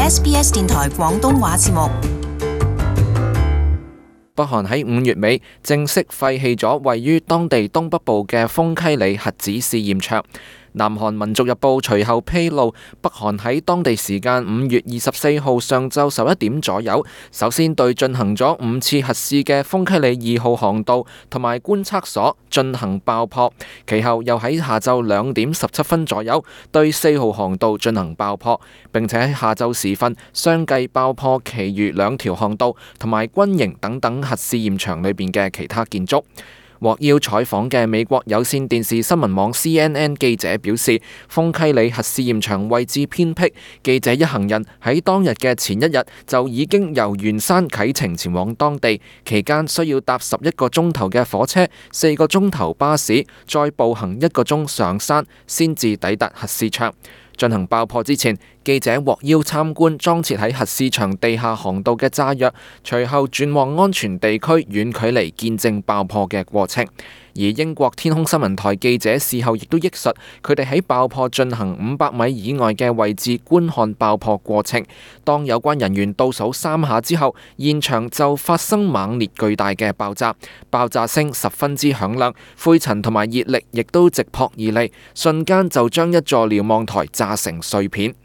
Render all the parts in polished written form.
SBS 電台廣東話節目。北韓喺5月尾正式廢棄咗位於當地東北部嘅豐溪里核子試驗場。南韓民族日報隨後披露，北韓喺當地時間5月24號上晝11點左右，首先對進行咗5次核試嘅豐溪里2號航道同埋觀測所進行爆破，其後又喺下晝2點17分左右對4號航道進行爆破，並且喺下晝時分相繼爆破其餘2條航道同埋軍營等等核試驗場裏邊嘅其他建築。獲邀採訪嘅美國有線電視新聞網 CNN 記者表示，豐溪里核試驗場位置偏僻，記者一行人喺當日嘅前一日就已經由元山啟程前往當地，期間需要搭11個鐘頭嘅火車、4個鐘頭巴士，再步行1個鐘上山，先至抵達核試場。進行爆破之前，記者獲邀參觀裝設喺核試場地下航道嘅炸藥，隨後轉往安全地區遠距離見證爆破嘅過程。而英國天空新聞台記者事後亦都憶述，佢哋喺爆破進行500米以外嘅位置觀看爆破過程。當有關人員倒數3下之後，現場就發生猛烈巨大嘅爆炸，爆炸聲十分之響亮，灰塵同埋熱力亦都直撲而嚟，瞬間就將一座瞭望台炸成碎片。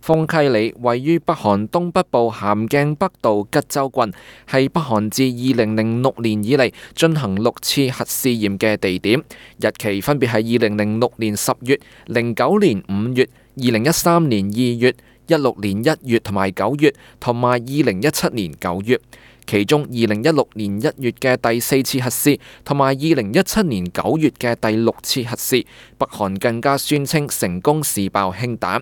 豐溪里位於北韓東北部咸鏡北道吉州郡，係北韓自2006年以嚟進行6次核試驗嘅地點，日期分別係2006年10月、09年5月、2013年2月、16年1月同埋9月，同埋2017年9月。其中2016年1月嘅第4次核試，同埋2017年9月嘅第6次核試，北韓更加宣稱成功試爆氫彈。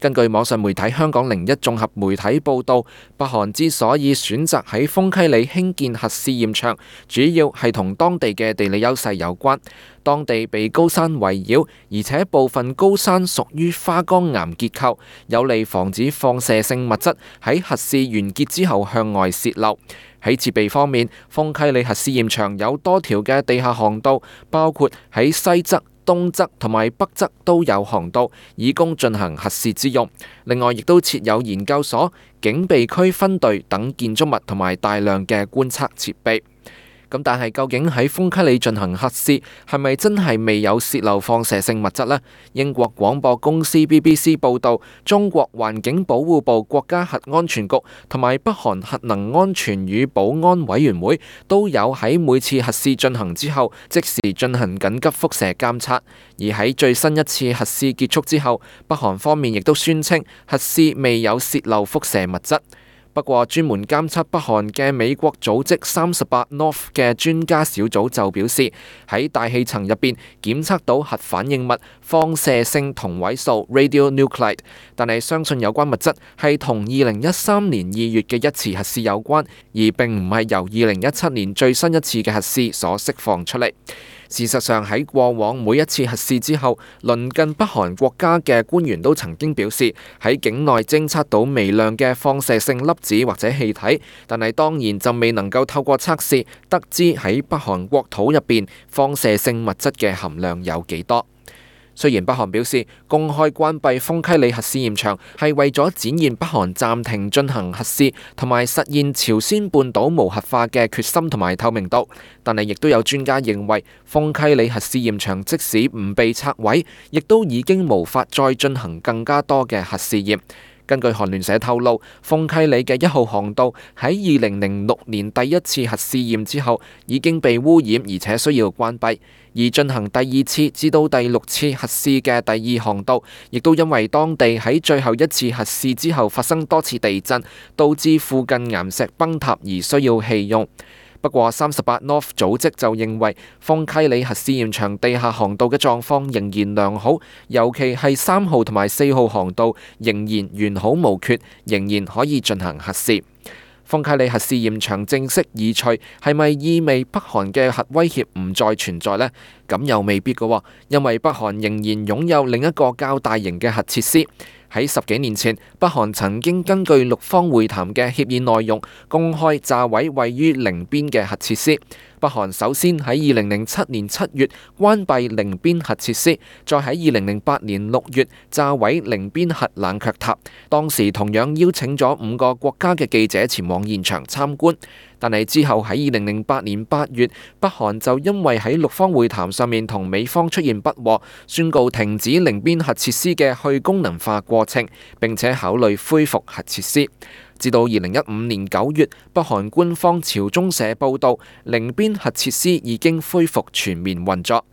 根據網上媒體香港01綜合媒體報導，北韓之所以選擇喺豐溪里興建核試驗場，主要係同當地嘅地理優勢有關。當地被高山圍繞，而且部分高山屬於花崗岩結構，有利防止放射性物質喺核試完結之後向外洩漏。喺設備方面，豐溪里核試驗場有多條嘅地下航道，包括喺西側、東側同埋北側都有航道，以供進行核試之用。另外，亦都設有研究所、警備區分隊等建築物同埋大量嘅觀測設備。咁但係究竟喺豐溪里進行核試係咪真係未有洩漏放射性物質呢？英國廣播公司 BBC 報導，中國環境保護部國家核安全局同埋北韓核能安全與保安委員會都有喺每次核試進行之後即時進行緊急輻射監測。而喺最新一次核試結束之後，北韓方面亦都宣稱核試未有洩漏輻射物質。不過，專門監測北韓嘅美國組織38 North 嘅專家小組就表示，喺大氣層入邊檢測到核反應物放射性同位素 radionuclide， 但係相信有關物質係同2013年2月嘅一次核試有關，而並唔係由2017年最新一次嘅核試所釋放出嚟。事實上，喺過往每一次核試之後，鄰近北韓國家嘅官員都曾經表示喺境內偵測到微量嘅放射性粒子或者氣體，但係當然就未能夠透過測試得知喺北韓國土入邊放射性物質嘅含量有幾多。雖然北韓表示公開關閉豐溪里核試驗場係為咗展現北韓暫停進行核試同埋實現朝鮮半島無核化嘅決心同埋透明度，但係亦都有專家認為豐溪里核試驗場即使唔被拆毀，亦都已經無法再進行更加多嘅核試驗。根據韓聯社透露，豐溪里嘅1號航道喺2006年第一次核試驗之後已經被污染，而且需要關閉。而進行第2次至到第6次核試嘅第2航道，亦都因為當地喺最後一次核試之後發生多次地震，導致附近岩石崩塌而需要棄用。不過38 North 組織就認為豐溪里核試驗場地下航道嘅狀況仍然良好，尤其係3號同埋4號航道仍然完好無缺，仍然可以進行核試。豐溪里核試驗場正式移除，係咪意味北韓嘅核威脅唔再存在呢？咁又未必㗎喎，因為北韓仍然擁有另一個較大型嘅核設施。喺10幾年前，北韓曾經根據六方會談嘅協議內容，公開炸毀位於寧邊嘅核設施。北韓首先喺2007年7月關閉寧邊核設施，再喺2008年6月炸毀寧邊核冷卻塔。當時同樣邀請咗5個國家嘅記者前往現場參觀。但係之後喺2008年8月，北韓就因為喺六方會談上面同美方出現不和，宣告停止寧邊核設施嘅去功能化過程，並且考慮恢復核設施。至到2015年9月，北韓官方朝中社報導，寧邊核設施已經恢復全面運作。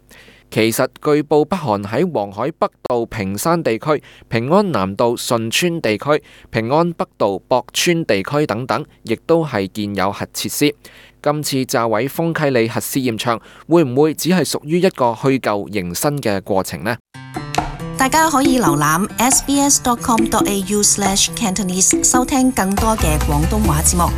其實據報，北韓喺黃海北道平山地區、平安南道順川地區、平安北道博川地區等等，亦都係建有核設施。今次炸毀豐溪里核試驗場，會唔會只係屬於一個去舊迎新嘅過程呢？大家可以瀏覽 sbs.com.au/cantonese 收聽更多嘅廣東話節目。